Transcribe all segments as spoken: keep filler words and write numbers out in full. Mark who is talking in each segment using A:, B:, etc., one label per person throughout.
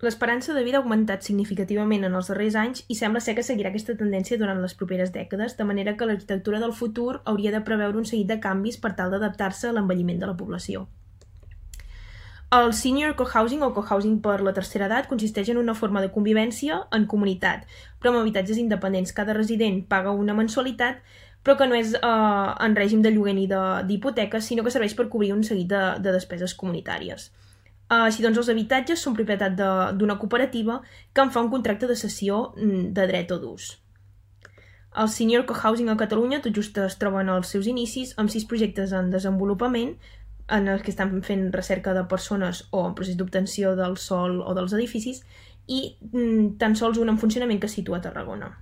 A: L'esperança de vida ha augmentat significativament en els darrers anys i sembla ser que seguirà aquesta tendència durant les properes dècades, de manera que l'arquitectura del futur hauria de preveure un seguit de canvis per tal d'adaptar-se a l'envelliment de la població. El senior cohousing o cohousing per la tercera edat consisteix en una forma de convivència en comunitat, però amb habitatges independents. Cada resident paga una mensualitat, però que no és eh, en règim de lloguer ni d'hipoteca, sinó que serveix per cobrir un seguit de, de despeses comunitàries. Així doncs, els habitatges són propietat d'una cooperativa que en fa un contracte de cessió de dret o d'ús. El senior cohousing a Catalunya tot just es troba en els seus inicis, amb sis projectes en desenvolupament, en els que estan fent recerca de persones o en procés d'obtenció del sòl o dels edificis, i tan sols un en funcionament que es situa a Tarragona.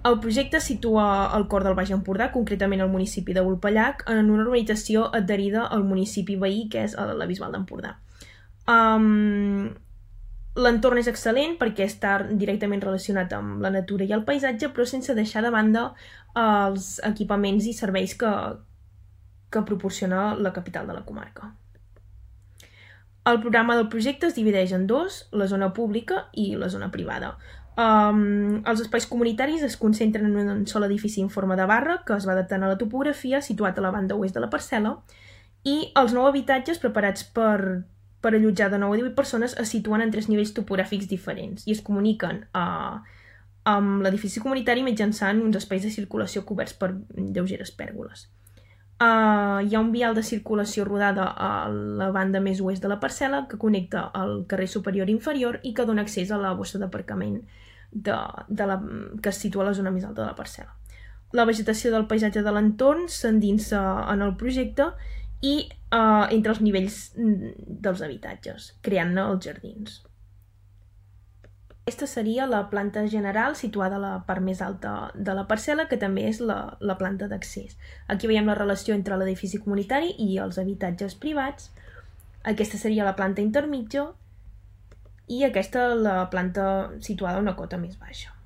A: El projecte es situa al cor del Baix Empordà, concretament al municipi de Vulpellac, en una urbanització adherida al municipi veí, que és la Bisbal d'Empordà. Um, L'entorn és excel·lent perquè està directament relacionat amb la natura i el paisatge, però sense deixar de banda els equipaments i serveis que, que proporciona la capital de la comarca. El programa del projecte es divideix en dos, la zona pública i la zona privada. Um, els espais comunitaris es concentren en un sol edifici en forma de barra que es va adaptant a la topografia, situat a la banda oest de la parcel·la, i els nou habitatges preparats per, per allotjar de nou a divuit persones es situen en tres nivells topogràfics diferents i es comuniquen uh, amb l'edifici comunitari mitjançant uns espais de circulació coberts per lleugeres pèrgoles. Uh, hi ha un vial de circulació rodada a la banda més oest de la parcel·la que connecta el carrer superior i inferior i que dona accés a la bossa d'aparcament de, de la, que es situa a la zona més alta de la parcel·la. La vegetació del paisatge de l'entorn s'endinsa en el projecte i uh, entre els nivells dels habitatges, creant-ne els jardins. Aquesta seria la planta general situada a la part més alta de la parcel·la, que també és la, la planta d'accés. Aquí veiem la relació entre l'edifici comunitari i els habitatges privats. Aquesta seria la planta intermitja i aquesta la planta situada a una cota més baixa.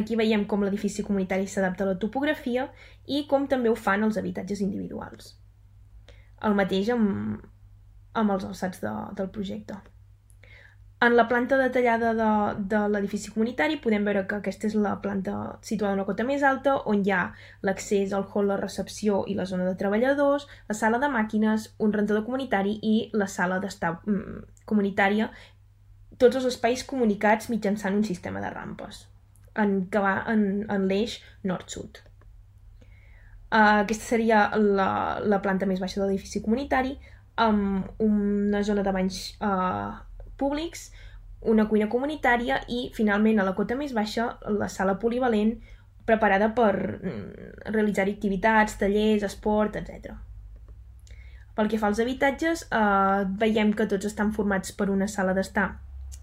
A: Aquí veiem com l'edifici comunitari s'adapta a la topografia i com també ho fan els habitatges individuals. El mateix amb, amb els alçats de, del projecte. En la planta detallada de, de l'edifici comunitari podem veure que aquesta és la planta situada a una cota més alta, on hi ha l'accés al hall de recepció i la zona de treballadors, la sala de màquines, un rentador comunitari i la sala d'estar mm, comunitària, tots els espais comunicats mitjançant un sistema de rampes, en, que va en, en l'eix nord-sud. Uh, aquesta seria la, la planta més baixa de l'edifici comunitari, amb una zona de banys uh, públics, una cuina comunitària i, finalment, a la cota més baixa, la sala polivalent preparada per realitzar activitats, tallers, esport, etcètera. Pel que fa als habitatges, eh, veiem que tots estan formats per una sala d'estar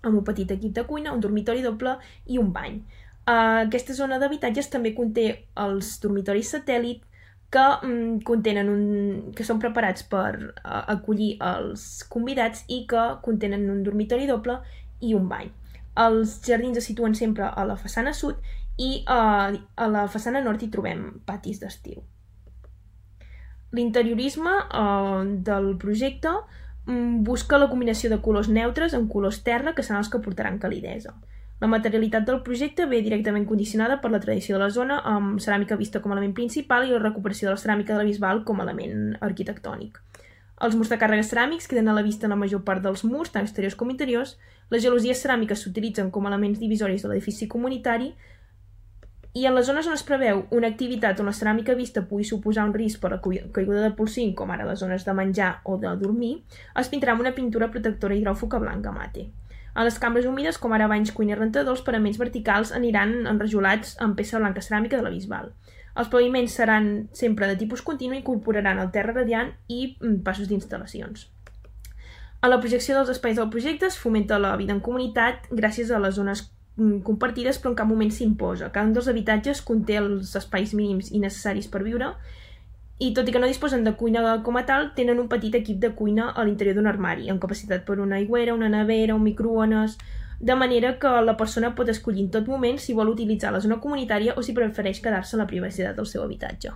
A: amb un petit equip de cuina, un dormitori doble i un bany. Eh, aquesta zona d'habitatges també conté els dormitoris satèl·lit que, mm, contenen un, que són preparats per uh, acollir els convidats i que contenen un dormitori doble i un bany. Els jardins es situen sempre a la façana sud i uh, a la façana nord hi trobem patis d'estiu. L'interiorisme uh, del projecte um, busca la combinació de colors neutres amb colors terra, que seran els que portaran calidesa. La materialitat del projecte ve directament condicionada per la tradició de la zona, amb ceràmica vista com a element principal i la recuperació de la ceràmica de la Bisbal com a element arquitectònic. Els murs de càrrega ceràmics queden a la vista en la major part dels murs, tant exteriors com interiors. Les gelosies ceràmiques s'utilitzen com a elements divisoris de l'edifici comunitari i en les zones on es preveu una activitat on la ceràmica vista pugui suposar un risc per la caiguda de polsim, com ara les zones de menjar o de dormir, es pintarà amb una pintura protectora hidròfuga blanca mate. A les cambres humides, com ara banys, cuina i rentador, els paraments verticals aniran enrajolats amb peça blanca ceràmica de la Bisbal. Els paviments seran sempre de tipus continu i incorporaran el terra radiant i passos d'instal·lacions. A la projecció dels espais del projecte es fomenta la vida en comunitat gràcies a les zones compartides, però en cap moment s'imposa. Cada un dels habitatges conté els espais mínims i necessaris per viure i, tot i que no disposen de cuina com a tal, tenen un petit equip de cuina a l'interior d'un armari, amb capacitat per una aigüera, una nevera, un microones, de manera que la persona pot escollir en tot moment si vol utilitzar la zona comunitària o si prefereix quedar-se a la privacitat del seu habitatge.